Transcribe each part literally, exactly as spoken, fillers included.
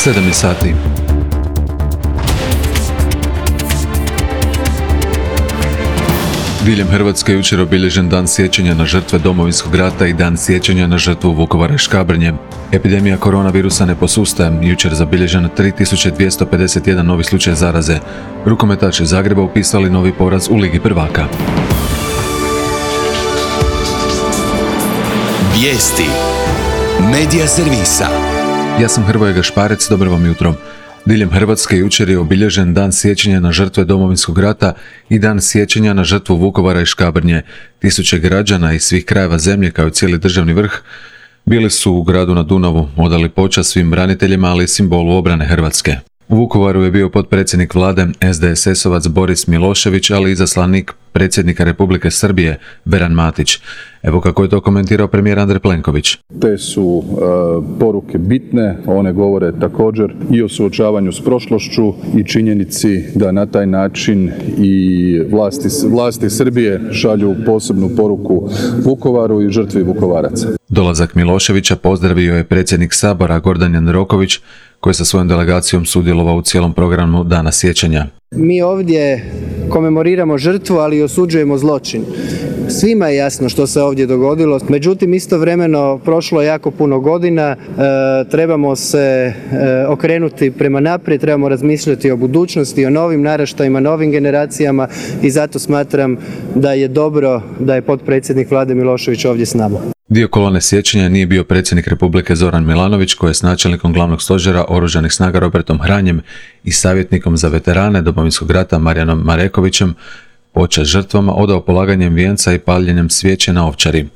sedam je sati. Diljem Hrvatske jučer obilježen dan sjećanja na žrtve Domovinskog rata i dan sjećanja na žrtvu Vukovara i Škabrnje. Epidemija koronavirusa ne posustaje, jučer zabilježeno tri tisuće dvjesto pedeset jedan novi slučaj zaraze. Rukometaši Zagreba upisali novi poraz u Ligi prvaka. Vijesti Medija servisa. Ja sam Hrvoje Gašparec, dobro vam jutro. Diljem Hrvatske jučer je obilježen dan sjećanja na žrtve Domovinskog rata i dan sjećanja na žrtvu Vukovara i Škabrnje. Tisuće građana iz svih krajeva zemlje kao i cijeli državni vrh bili su u gradu na Dunavu, odali počast svim braniteljima, ali i simbolu obrane Hrvatske. U Vukovaru je bio potpredsjednik vlade es de es esovac Boris Milošević, ali i izaslanik predsjednika Republike Srbije Veran Matić. Evo kako je to komentirao premijer Andrej Plenković. Te su e, poruke bitne, one govore također i o suočavanju s prošlošću i činjenici da na taj način i vlasti, vlasti Srbije šalju posebnu poruku Vukovaru i žrtvi Vukovaraca. Dolazak Miloševića pozdravio je predsjednik Sabora Gordan Jandroković, koji je sa svojom delegacijom sudjelovao u cijelom programu Dana sjećanja. Mi ovdje komemoriramo žrtvu, ali i osuđujemo zločin. Svima je jasno što se ovdje dogodilo, međutim istovremeno prošlo je jako puno godina, e, trebamo se e, okrenuti prema naprijed, trebamo razmišljati o budućnosti, o novim naraštajima, novim generacijama i zato smatram da je dobro da je potpredsjednik vlade Milošević ovdje s nama. Dio kolone sjećanja nije bio predsjednik Republike Zoran Milanović, koji je s načelnikom glavnog stožera Oružanih snaga Robertom Hranjem i savjetnikom za veterane Domovinskog rata Marijanom Marekovićem počast žrtvama odao polaganjem vijenca i paljenjem svijeće na Ovčari.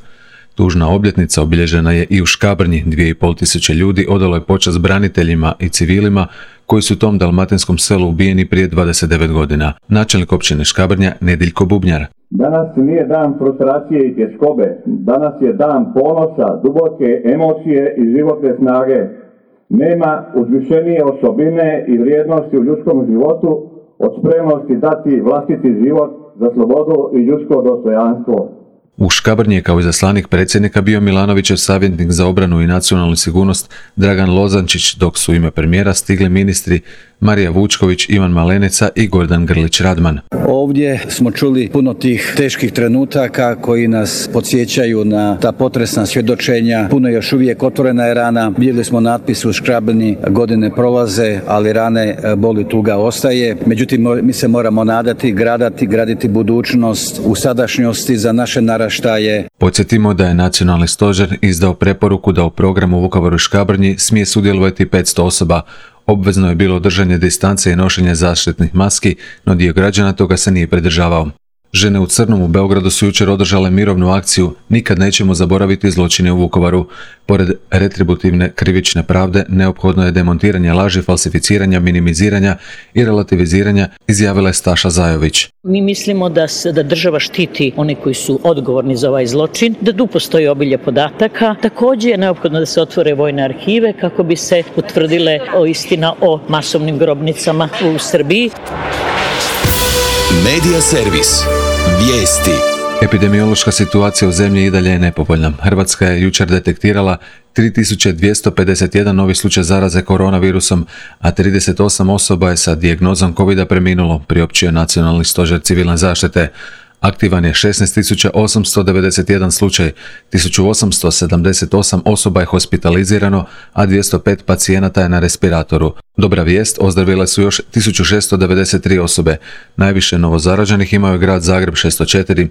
Tužna obljetnica obilježena je i u Škabrnji, dvije i pol tisuće ljudi odalo je počast braniteljima i civilima koji su u tom dalmatinskom selu ubijeni prije dvadeset devet godina. Načelnik općine Škabrnja Nediljko Bubnjar. Danas nije dan frustracije i tjeskobe, danas je dan ponosa, duboke emocije i životne snage. Nema uzvišenije osobine i vrijednosti u ljudskom životu od spremnosti dati vlastiti život za slobodu i ljudsko dostojanstvo. U Škabrnji je kao izaslanik predsjednika bio Milanovićev savjetnik za obranu i nacionalnu sigurnost Dragan Lozančić, dok su u ime premijera stigli ministri Marija Vučković, Ivan Malenica i Gordan Grlić Radman. Ovdje smo čuli puno tih teških trenutaka koji nas podsjećaju na ta potresna svjedočenja. Puno još uvijek otvorena je rana. Vidjeli smo natpis u Škabrnji, godine prolaze, ali rane, boli, tuga ostaje. Međutim, mi se moramo nadati, gradati, graditi budućnost u sadašnjosti za naše naraštaje. Podsjetimo da je Nacionalni stožer izdao preporuku da u programu Vukovaru i Škabrnji smije sudjelovati petsto osoba. Obvezno je bilo držanje distance i nošenje zaštitnih maski, no dio građana toga se nije pridržavao. Žene u crnom u Beogradu su jučer održale mirovnu akciju Nikad nećemo zaboraviti zločine u Vukovaru. Pored retributivne krivične pravde, neophodno je demontiranje laži, falsificiranja, minimiziranja i relativiziranja, izjavila je Staša Zajović. Mi mislimo da, se, da država štiti one koji su odgovorni za ovaj zločin, da tu postoji obilje podataka. Također je neophodno da se otvore vojne arhive kako bi se utvrdile o istina o masovnim grobnicama u Srbiji. Medija servis. Vijesti. Epidemiološka situacija u zemlji i dalje je nepovoljna. Hrvatska je jučer detektirala tri tisuće dvjesto pedeset jedan novi slučaj zaraze koronavirusom, a trideset osam osoba je sa dijagnozom kovida preminulo, priopćio Nacionalni stožer civilne zaštite. Aktivan je šesnaest tisuća osamsto devedeset jedan slučaj, tisuću osamsto sedamdeset osam osoba je hospitalizirano, a dvjesto pet pacijenata je na respiratoru. Dobra vijest, ozdravile su još tisuću šesto devedeset tri osobe. Najviše novozaraženih imao je grad Zagreb šesto četiri.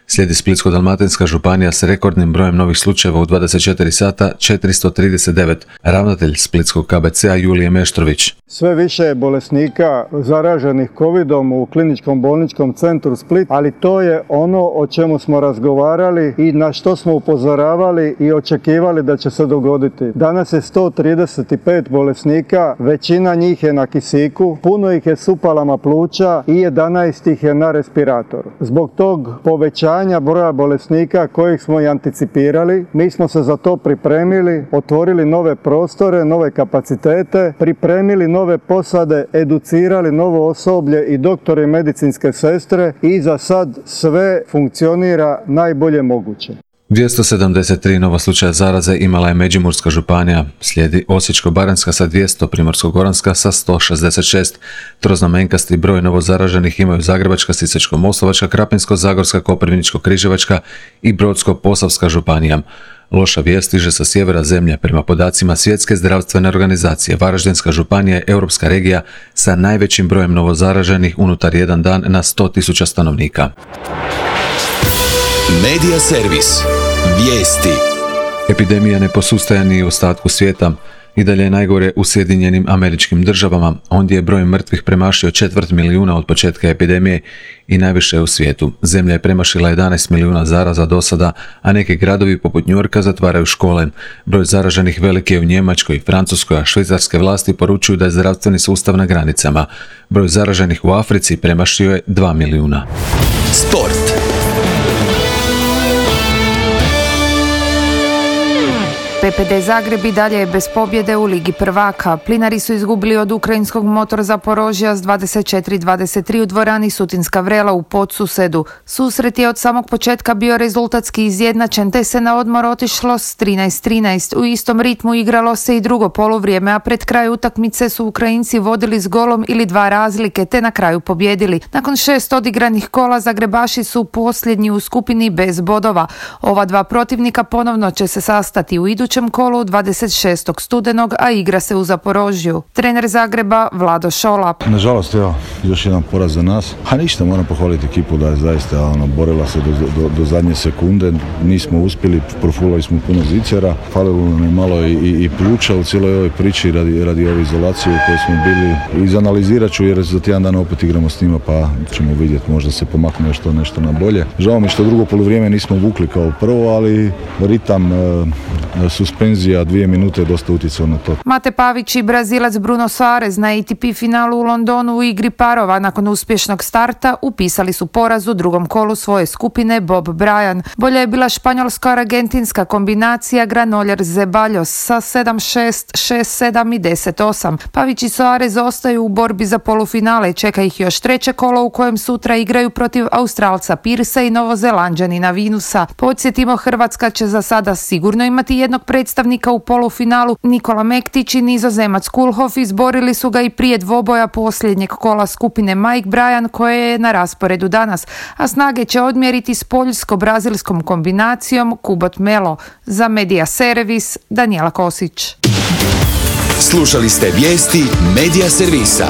Slijedi Splitsko-dalmatinska županija s rekordnim brojem novih slučajeva u dvadeset četiri sata, četiristo trideset devet. Ravnatelj Splitskog ka be ce a Julije Meštrović. Sve više je bolesnika zaraženih kovidom u kliničkom bolničkom centru Split, ali to je ono o čemu smo razgovarali i na što smo upozoravali i očekivali da će se dogoditi. Danas je sto trideset pet bolesnika, većina njih je na kisiku, puno ih je s upalama pluća i jedanaest ih je na respiratoru. Zbog tog povećanja broja bolesnika kojih smo i anticipirali, mi smo se za to pripremili, otvorili nove prostore, nove kapacitete, pripremili nove posade, educirali novo osoblje i doktore i medicinske sestre i za sad sve funkcionira najbolje moguće. dvjesto sedamdeset tri nova slučaja zaraze imala je Međimurska županija, slijedi Osječko-baranjska sa dvjesto, Primorsko-goranska sa sto šezdeset šest. Troznamenkasti broj novozaraženih imaju Zagrebačka, Sisačko-moslavačka, Krapinsko-zagorska, Koprivničko-križevačka i Brodsko-posavska županija. Loša vijest stiže sa sjevera zemlje. Prema podacima Svjetske zdravstvene organizacije, Varaždinska županija je europska regija sa najvećim brojem novozaraženih unutar jedan dan na sto tisuća stanovnika. Medija servis. Vijesti. Epidemija ne posustaje ni u ostatku svijeta. I dalje je najgore u Sjedinjenim Američkim Državama. Ondje je broj mrtvih premašio četvrt milijuna od početka epidemije i najviše u svijetu. Zemlja je premašila jedanaest milijuna zaraza do sada, a neki gradovi poput Njujorka zatvaraju škole. Broj zaraženih velik je u Njemačkoj, Francuskoj, a švicarske vlasti poručuju da je zdravstveni sustav na granicama. Broj zaraženih u Africi premašio je dva milijuna. Sport. P P D Zagreb i dalje je bez pobjede u Ligi prvaka. Plinari su izgubili od ukrajinskog Motor Zaporožja s dvadeset četiri dvadeset tri u dvorani Sutinska Vrela u Podsusedu. Susret je od samog početka bio rezultatski izjednačen, te se na odmor otišlo s trinaest trinaest. U istom ritmu igralo se i drugo poluvrijeme, a pred kraj utakmice su Ukrajinci vodili s golom ili dva razlike, te na kraju pobjedili. Nakon šest odigranih kola Zagrebaši su posljednji u skupini bez bodova. Ova dva protivnika ponovno će se sastati u idućem kolu dvadeset šestog studenog, a igra se u Zaporožju. Trener Zagreba Vlado Šolap. Nažalost, evo, još jedan poraz za nas. A ništa, moram pohvaliti ekipu da je zaista ono, borila se do, do, do zadnje sekunde. Nismo uspjeli, profulali smo puno zicara. Falilo nam je malo i, i, i pluća u cijeloj ovoj priči radi, radi ove izolacije u kojoj smo bili. Izanalizirat ću jer za tjedan dana opet igramo s njima, pa ćemo vidjeti, možda se pomakne nešto, nešto na bolje. Žao mi što drugo poluvrijeme nismo vukli kao prvo, ali ritam e, suspenzija dvije minute je dosta utjecao na to. Mate Pavić i Brazilac Bruno Soares na A T P finalu u Londonu u igri parova nakon uspješnog starta upisali su poraz u drugom kolu svoje skupine Bob Bryan. Bolja je bila španjolsko-argentinska kombinacija Granollers Zeballos sa sedam šest, šest sedam i deset osam. Pavić i Soares ostaju u borbi za polufinale, čeka ih još treće kolo u kojem sutra igraju protiv Australca Pirsa i Novozelanđanina Vinusa. Podsjetimo, Hrvatska će za sada sigurno imati jednog predstavnika u polufinalu. Nikola Mektić i Nizozemac Kulhof izborili su ga i prije dvoboja posljednjeg kola skupine Mike Bryan koje je na rasporedu danas, a snage će odmjeriti s poljsko-brazilskom kombinacijom Kubot Melo. Za Medija servis Danijela Kosić. Slušali ste vijesti Medija servisa.